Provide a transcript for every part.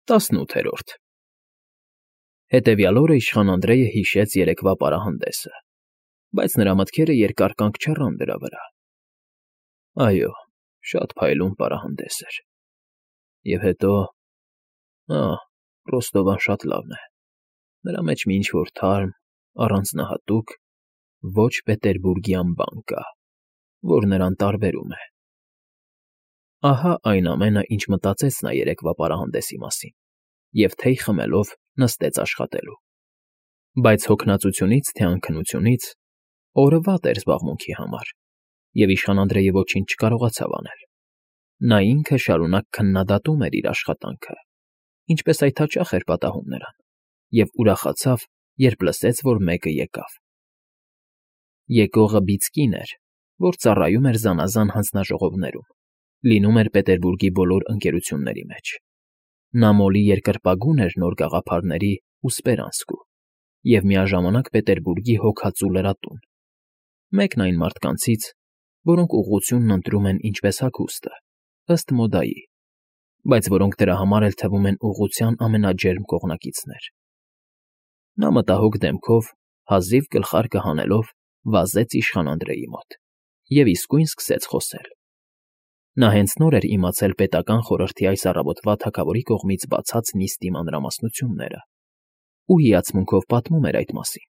18-րդ Հետևյալ օրը իշխան Անդրեյը հիշեց երեկվա պարահանդեսը, բայց նրա մտքերը երկար կանգ չառան դրա վրա. այո, շատ փայլուն պարահանդես էր, և հետո, Ռոստովան շատ լավն է, նրա մեջ մի ինչ֊որ թարմ, առանձնահատուկ, ոչ պետերբուրգյան բան կա, որ նրան տարբերում է… Ահա այն ամենը, ինչ մտածեց նա երեկվա պարահանդեսի մասին և թեյ խմելով նստեց աշխատելու, բայց հոգնածությունից թե անքնությունից օրը վատ էր զբաղմունքի համար, և իշխան Անդրեյը ոչինչ չկարողացավ անել. նա ինքը շարունակ քննադատում էր իր աշխատանքը, ինչպես այդ հաճախ էր պատահում նրան, և ուրախացավ, երբ լսեց, որ մեկը եկավ. եկողը բիծ կին էր, որ ծառայում էր զանազան հանձնաժողովներում, լինում էր Պետերբուրգի բոլոր ընկերությունների մեջ. նա Մոլի երկրպագուն էր նոր գաղափարների ու Սպերանսկու և միաժամանակ Պետերբուրգի հոգածու լրատուն, մեկն այն մարդկանցից, որոնք ուղղությունն ընտրում են ինչպես հագուստը, ըստ մոդայի, բայց որոնք դրա համար էլ թվում են ուղղության ամենաջերմ կողմնակիցներ… Նա մտահոգ դեմքով, հազիվ գլխարկը հանելով, վազեց իշխան Անդրեյի մոտ և իսկույն սկսեց խոսել… Նա հենց նոր էր իմացել պետական խորհրդի այս առավոտվա թագավորի կողմից բացած նիստի մանրամասնությունները ու հիացմունքով պատմում էր այդ մասին.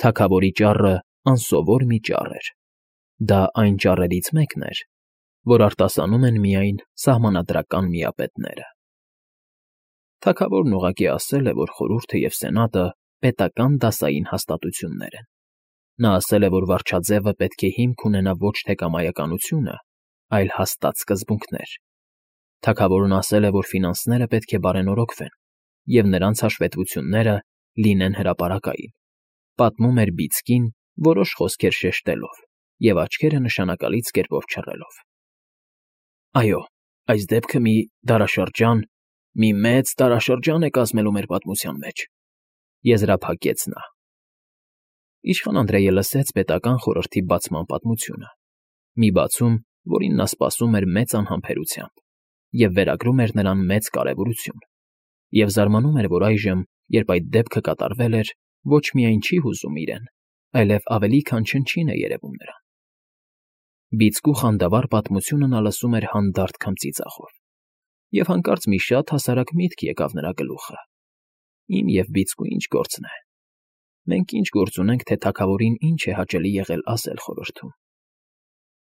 թագավորի ճառը անսովոր մի ճառ էր, դա այն ճառերից մեկն էր, որ արտասանում են միայն սահմանադրական միապետները… Թագավորն ուղղակի ասել է, որ խորհուրդը և սենատը պետական դասային հաստատություններ են… Նա ասել է, որ վարչաձևը պետք է հիմք ունենա ոչ թե կամայականությունը, այլ հաստատ սկզբունքներ… Թագավորն ասել է, որ ֆինանսները պետք է բարենորոգվեն և նրանց հաշվետվությունները լինեն հրապարակային, պատմում էր բիծ կին, որոշ խոսքեր շեշտելով և աչքերը նշանակալից կերպով չռելով… Այո, այս դեպքը մի դարաշրջան, մի մեծ դարաշրջան է կազմելու մեր պատմության մեջ, եզրափակեց նա… Իշխան Անդրեյը լսեց պետական խորհրդի բացման պատմությունը, մի բացում, որին նա սպասում էր մեծ անհամբերությամբ և վերագրում էր նրան մեծ կարևորություն, և զարմանում էր, որ այժմ, երբ այդ դեպքը կատարվել էր, ոչ միայն չի հուզում իրեն, այլև ավելի քան չնչին է երևում նրան… Բիծկու խանդավառ պատմությունը նա լսում էր հանդարտ քմծիծաղով, և հանկարծ մի շատ հասարակ միտք եկավ նրա գլուխը. իմ և բիծկու ինչ գործն է… Մենք ինչ գործ ունենք, թե թագավորին ինչ է հաճելի եղել ասել խորհրդում…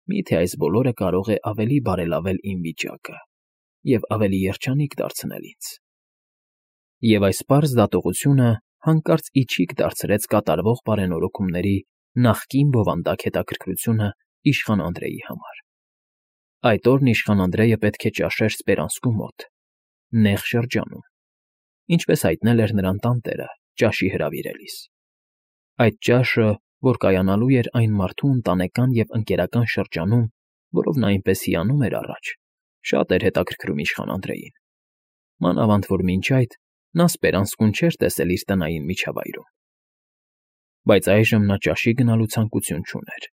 Միթե այս բոլորը կարող է ավելի բարելավել իմ վիճակը և ավելի երջանիկ դարձնել ինձ… Եվ այս պարզ դատողությունը հանկարծ իջիկ դարձրեց կատարվող բարենորոգումների նախկին բովանդակ հետաքրքրությունը իշխան Անդրեյի համար… Այդ օրն իշխան Անդրեյը պետք է ճաշեր Սպերանսկու մոտ, նեղ շրջանում, ինչպես հայտնել էր նրան տանտերը ճաշի հրավիրելիս… Այդ ճաշը, որ կայանալու էր այն մարդու ընտանեկան և ընկերական շրջանում, որով նա այնպես հիանում էր առաջ, շատ էր հետաքրքրում իշխան Անդրեյին, մանավանդ որ մինչ այդ նա Սպերանսկուն չէր տեսել իր տնային միջավայրում… Բայց այժմ նա ճաշի գնալու ցանկություն չուներ,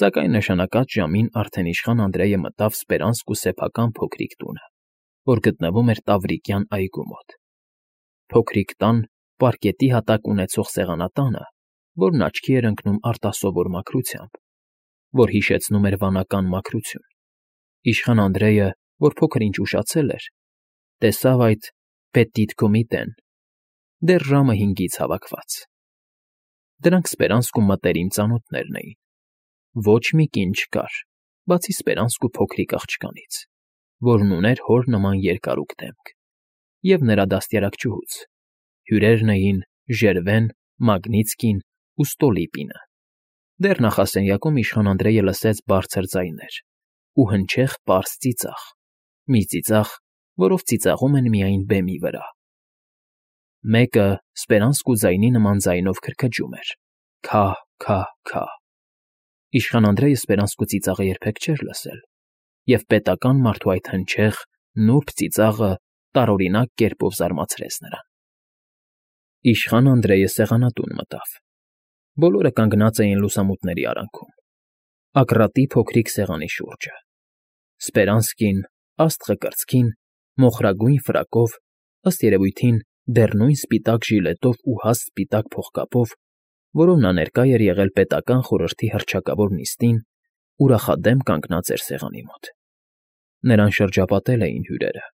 սակայն նշանակած ժամին արդեն իշխան Անդրեյը մտավ Սպերանսկու սեփական փոքրիկ տունը, որ գտնվում էր Տավրիկյան այգու մոտ… Փոքրիկ տան, պարկետի հատակ ունեցող սեղանատանը, որն աչքի էր ընկնում արտասովոր մաքրությամբ, որ հիշեցնում էր վանական մաքրություն… Իշխան Անդրեյը, որ փոքր֊ինչ ուշացել էր, տեսավ այդ Պետիտ Կոմիտեն, դեռ ժամը 5-ից հավաքված… Դրանք Սպերանսկու մտերիմ ծանոթներն էին… Ոչ մի կին չկար, բացի Սպերանսկու փոքրիկ աղջկանից, որն ուներ հոր նման երկարուկ դեմք, և նրա դաստիարակչուհուց… Հյուրերն էին Ժերվեն, Մագնիցկին ու Ստոլիպինը… Դեռ նախասենյակում իշխան Անդրեյը լսեց բարձր ձայներ ու հնչեղ պարզ ծիծաղ, մի ծիծաղ, որով ծիծաղում են միայն բեմի վրա… Մեկը Սպերանսկու ձայնի նման ձայնով քրքջում էր. քա՛֊քա՛֊քա… Իշխան Անդրեյը Սպերանսկու ծիծաղը երբեք չէր լսել, և պետական մարդու այդ հնչեղ, նուրբ ծիծաղը տարօրինակ կերպով զարմացրեց նրան… Իշխան Անդրեյը սեղանատուն մտավ… Բոլորը կանգնած էին լուսամուտների արանքում, Ակռատի փոքրիկ սեղանի շուրջը… Սպերանսկին, աստղը կրծքին, մոխրագույն ֆրակով ըստ երևույթին դեռ նույն սպիտակ ժիլետով ու հաստ սպիտակ փողկապով, որով նա ներկա էր եղել պետական խորհրդի հռչակավոր նիստին, ուրախադեմ կանգնած էր սեղանի մոտ։ Նրան շրջապատել էին հյուրերը։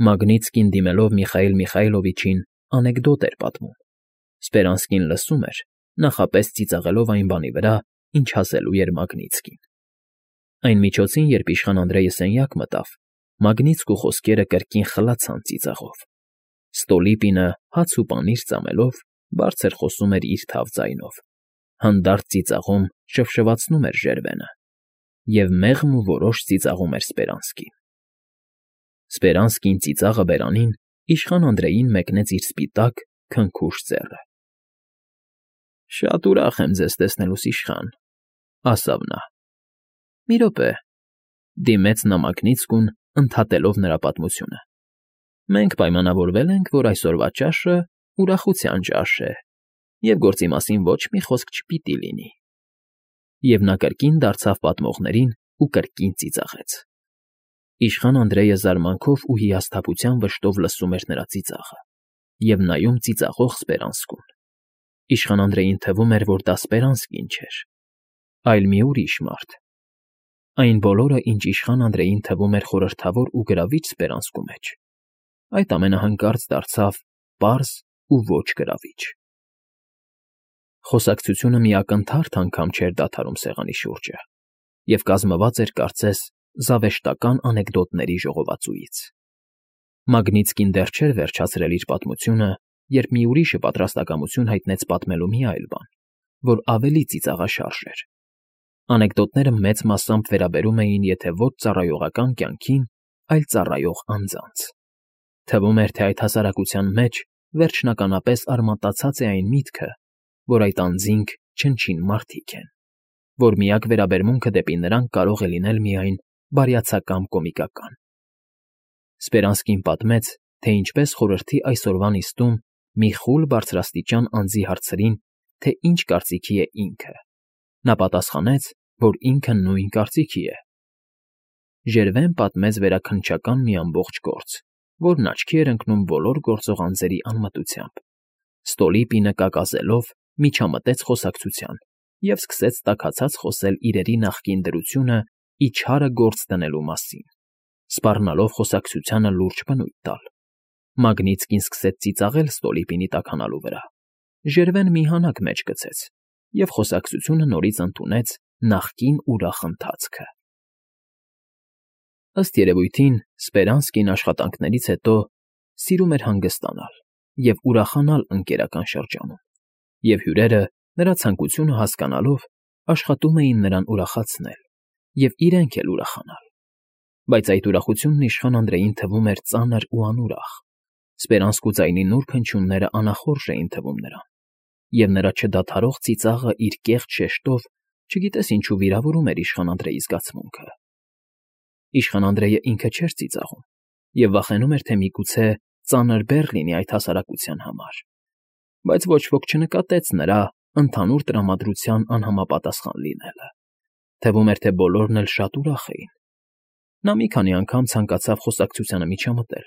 Մագնիտսկին դիմելով Միխայիլ Միխայիլովիչին անեկդոտ էր պատմում։ Սպերանսկին լսում էր, նախապես ծիծաղելով այն բանի վրա, ինչ ասելու էր Մագնիտսկին։ Այն միջոցին, երբ իշխան Անդրեյը սենյակ մտավ, Մագնիտսկու խոսքերը կրկին խլացան ծիծաղով։ Ստոլիպինը հաց ու պանիր ծամելով բարձր խոսում էր իր թավ ձայնով, հանդարտ ծիծաղում շվշվացնում էր ժերվենը և մեղմ ու որոշ ծիծաղում էր Սպերանսկին։ Սպերանսկին ծիծաղը բերանին իշխան Անդրեյին մեկնեց իր սպիտակ, քնքուշ ձեռը։ «Շատ ուրախ եմ ձեզ տեսնելուս, իշխան», ասավ նա։ «Մի րոպե», դիմեց նա Մագնիտսկուն, ընդհատելով նրա պատմությունը։ «Մենք պայմանավորվել ենք, որ այսօրվա ճաշը ուրախության ճաշ է, և գործի մասին ոչ մի խոսք չպիտի լինի»։ Եվ նա կրկին դարձավ պատմողներին ու կրկին ծիծաղեց։ Իշխան Անդրեյը զարմանքով ու հիասթափության վշտով լսում էր նրա ծիծաղը և նայում ծիծաղող Սպերանսկուն։ Իշխան Անդրեյին թվում էր, որ դա Սպերանսկին չէր, այլ մի ուրիշ մարդ։ Այն բոլորը, ինչ իշխան Անդրեյին թվում էր խորհրդավոր ու գրավիչ Սպերանսկու մեջ, այդ ամենը հանկարծ դարձավ պարզ ու ոչ գրավիչ։ Խոսակցությունը մի ակնթարթ անգամ չէր դադարում սեղանի շուրջը և կազմված էր, կարծես, զավեշտական անեկդոտների ժողովածուից։ Մագնիտսկին դեռ չէր վերջացրել իր պատմությունը, երբ մի ուրիշը պատրաստակամություն հայտնեց պատմելու մի այլ բան, որ ավելի ծիծաղաշարժ էր։ Անեկդոտները մեծ մասամբ վերաբերում էին եթե ոչ ծառայողական կյանքին, այլ ծառայող անձանց։ Թվում էր, թե այդ հասարակության մեջ վերջնականապես արմատացած է այն միտքը, որ այդ անձինք չնչին մարդիկ են, որ միակ վերաբերմունքը դեպի նրանք կարող է լինել միայն բարյացակամ կոմիկական։ Սպերանսկին պատմեց, թե ինչպես խորհրդի այսօրվա նիստում մի խուլ բարձրաստիճան անձի հարցրին, թե ինչ կարծիքի է ինքը։ Նա պատասխանեց, որ ինքը նույն կարծիքի է։ Ժերվեն պատմեց վերաքննչական մի ամբողջ գործ, որն աչքի էր ընկնում բոլոր գործող անձերի անմտությամբ։ Ստոլիպինը կակազելով միջամտեց խոսակցության և սկսեց տաքացած խոսել իրերի նախկին դրությունը իչհարը գործ դնելու մասին, սպառնալով խոսակցությանը լուրջ բնույթ տալ։ Մագնիտսկին սկսեց ծիծաղել Ստոլիպինի տաքանալու վրա։ Ժերվեն մի հանակ մեջ գցեց, և խոսակցությունը նորից ընդունեց նախկին ուրախ ընթացքը։ Ըստ երևույթին, Սպերանսկին աշխատանքներից հետո սիրում էր հանգստանալ և ուրախանալ ընկերական շրջանում, և հյուրերը, նրա ցանկությունը հասկանալով, աշխատում էին նրան ուրախացնել և իրենք էլ ուրախանալ։ Բայց այդ ուրախությունն իշխան Անդրեյին թվում էր ծանր ու անուրախ։ Սպերանսկու ձայնի նուրբ հնչյունները անախորժ էին թվում նրան, և նրա չդադարող ծիծաղը իր կեղծ շեշտով չգիտես ինչու վիրավորում էր իշխան Անդրեյի զգացմունքը։ Իշխան Անդրեյը ինքը չէր ծիծաղում և վախենում էր, թե միգուցե ծանր բեռ լինի այդ հասարակության համար, բայց ոչ ոք չնկատեց նրա ընդհանուր տրամադրության անհամապատասխան լինելը։ Թվում էր, թե բոլորն էլ շատ ուրախ էին։ Նա մի քանի անգամ ցանկացավ խոսակցությանը միջամտել,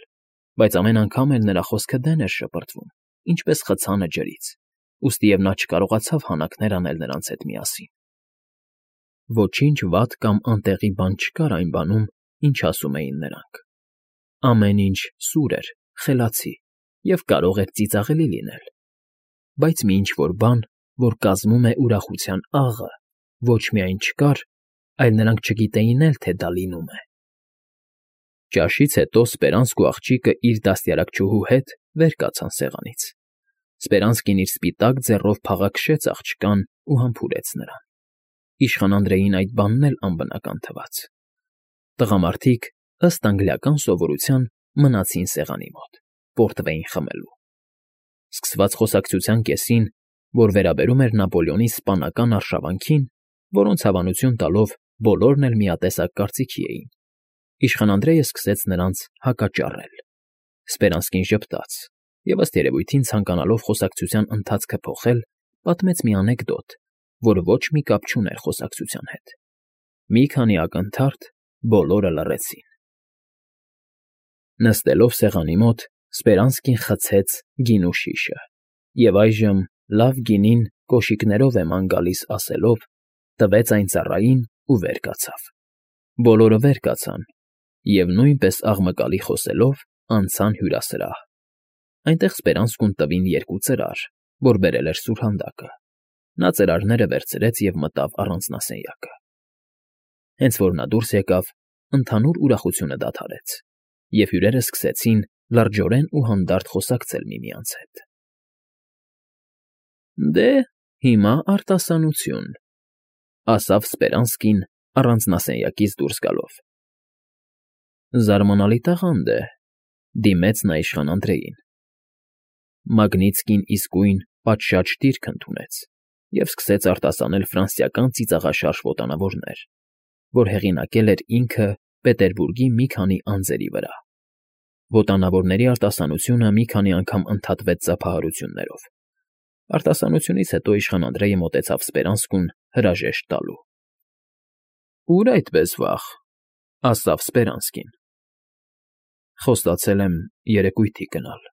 բայց ամեն անգամ էլ նրա խոսքը դեն էր շպրտվում, ինչպես խցանը ջրից, ուստի և նա չկարողացավ հանակներ անել նրանց հետ միասին։ Ոչինչ վատ կամ անտեղի բան չկար այն բանում, ինչ ասում էին նրանք։ Ամեն ինչ սուր էր, խելացի և կարող էր ծիծաղելի լինել։ Բայց մի ինչ֊որ բան, որ կազմում է ուրախության աղը, ոչ միայն չկար, այլ նրանք չգիտեին էլ, թե դա լինում է։ Ճաշից հետո Սպերանսկու աղջիկը իր դաստիարակչուհու հետ վեր կացան սեղանից։ Սպերանսկին իր սպիտակ ձեռով փաղաքշեց աղջկան ու համբուրեց նրան։ Իշխան Անդրեյին այդ բանն էլ անբնական թվաց։ Տղամարդիկ, ըստ անգլիական սովորության, մնացին սեղանի մոտ, պորտվեին խմելու։ Սկսված խոսակցության կեսին, որ վերաբերում էր Նապոլեոնի սպանական արշավանքին, որոնց հավանություն տալով բոլորն էլ միատեսակ կարծիքի էին, իշխան Անդրեյը սկսեց նրանց հակաճառել։ Սպերանսկին ժպտաց և, ըստ երևույթին ցանկանալով խոսակցության ընթացքը փոխել, պատմեց մի անեկդոտ, որ ոչ մի կապ չուներ խոսակցության հետ։ Մի քանի ակնթարթ բոլորը լռեցին։ Նստելով սեղանի մոտ, Սպերանսկին խցեց գինու շիշը և այժմ «լավ գինին կոշիկներով է ման գալիս» ասելով, տվեց այն ծառային ու վեր կացավ։ Բոլորը վեր կացան և, նույնպես աղմկալի խոսելով, անցան հյուրասրահ։ Այնտեղ Սպերանսկուն տվին երկու ծրար, որ բերել էր սուրհանդակը։ Նա ծրարները վերցրեց և մտավ առանձնասենյակը։ Հենց որ նա դուրս եկավ, ընդհանուր ուրախությունը դադարեց, և հյուրերն սկսեցին լրջորեն ու հանդարտ խոսակցել միմյանց հետ։ «Դե, հիմա արտասանություն», ֊ ասավ Սպերանսկին առանձնասենյակից դուրս գալով։ «Զարմանալի տաղանդ է», ֊ դիմեց նա իշխան Անդրեին։ Մագնիտսկին իսկույն պատշաճ դիրք ընդունեց և սկսեց արտասանել ֆրանսիական ծիծաղաշարժ ոտանավորներ, որ հեղինակել էր ինքը Պետերբուրգի մի քանի անձերի վրա։ Ոտանավորների արտասանությունը մի քանի անգամ ընդհատվեց ծափահարություններով։ Արտասանությունից հետո իշխան Անդրեյը մոտեցավ Սպերանսկուն հրաժեշտ տալու։ «Ուր այդպես վաղ», ֊ ասավ Սպերանսկին։ «Խոստացել եմ երեկույթի գնալ»։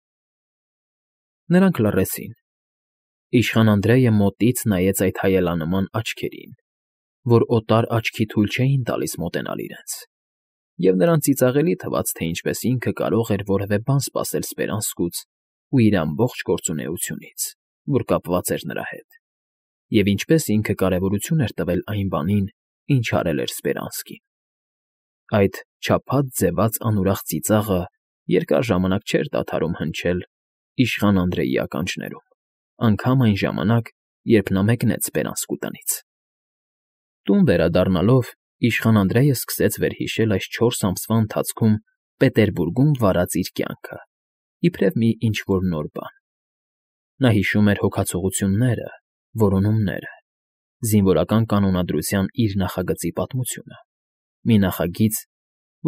Նրանք լռեցին։ Իշխան Անդրեյը մոտից նայեց այդ հայելանման աչքերին, որ օտար աչքի թույլ չէին տալիս մոտենալ իրենց, և նրան ծիծաղելի թվաց, թե ինչպես ինքը կարող էր որևէ բան սպասել Սպերանսկուց ու իր ամբողջ գործունեությունից, որ կապված էր նրա հետ, և ինչպես ինքը կարևորություն էր տվել այն բանին, ինչ արել էր Սպերանսկին։ Այդ չափած ձևած անուրախ ծիծաղը երկար ժամանակ չէր դադարում հնչել իշխան Անդրեյի ականջներում, անգամ այն ժամանակ, երբ նա մեկնեց Սպերանսկու տնից։ Տուն վերադառնալով իշխան Անդրեյը սկսեց վերհիշել այս 4 ամսվա ընթացքում Պետերբուրգում վարած իր կյանքը, իբրև մի ինչ֊որ նոր բան։ Նա հիշում էր հոգացողությունները, որոնումները, զինվորական կանոնադրության իր նախագծի պատմությունը, մի նախագիծ,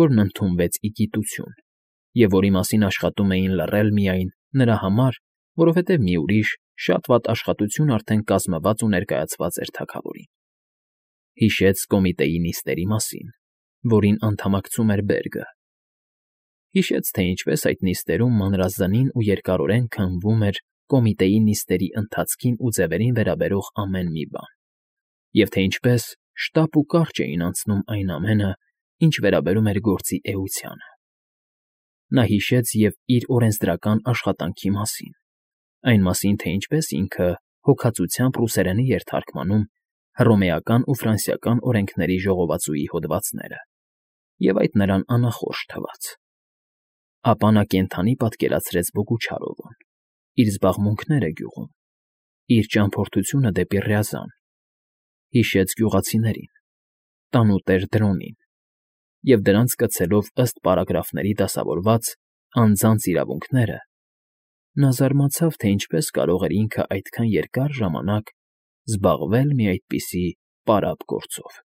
որն ընդունվեց ի գիտություն, և որի մասին աշխատում էին լռել միայն նրա համար, որովհետև մի ուրիշ, շատ վատ աշխատություն արդեն կազմված ու ներկայացված էր թագավորին։ Հիշեց Կոմիտեի նիստերի մասին, որին անդամակցում էր Բերգը։ Հիշեց, թե ինչպես այդ նիստերում մանրազնին ու երկարորեն քննվում էր Կոմիտեի նիստերի ընթացքին ու ձևերին վերաբերող ամեն մի բան, և թե ինչպես շտապ ու կարճ էին անցնում այն ամենը, ինչ վերաբերում էր գործի էությանը։ Նա հիշեց և իր օրենսդրական աշխատանքի մասին, այն մասին, թե ինչպես ինքը հոգածությամբ ռուսերենի էր թարգմանում հռոմեական ու ֆրանսիական օրենքների ժողովածուի հոդվածները, և այդ նրան անախորժ թվաց։ Ապա նա կենդանի պատկերացրեց Բոգուչարովին, իր զբաղմունքները գյուղում, իր ճամփորդությունը դեպի Ռյազան, հիշեց գյուղացիներին, տանուտեր Դրոնին, և դրանց կցելով ըստ պարագրաֆների դասավորված անձանց իրավունքները, նա զարմացավ, թե ինչպես կարող էր ինքը այդքան երկար ժամանակ զբաղվել մի այդպիսի պարապ գործով։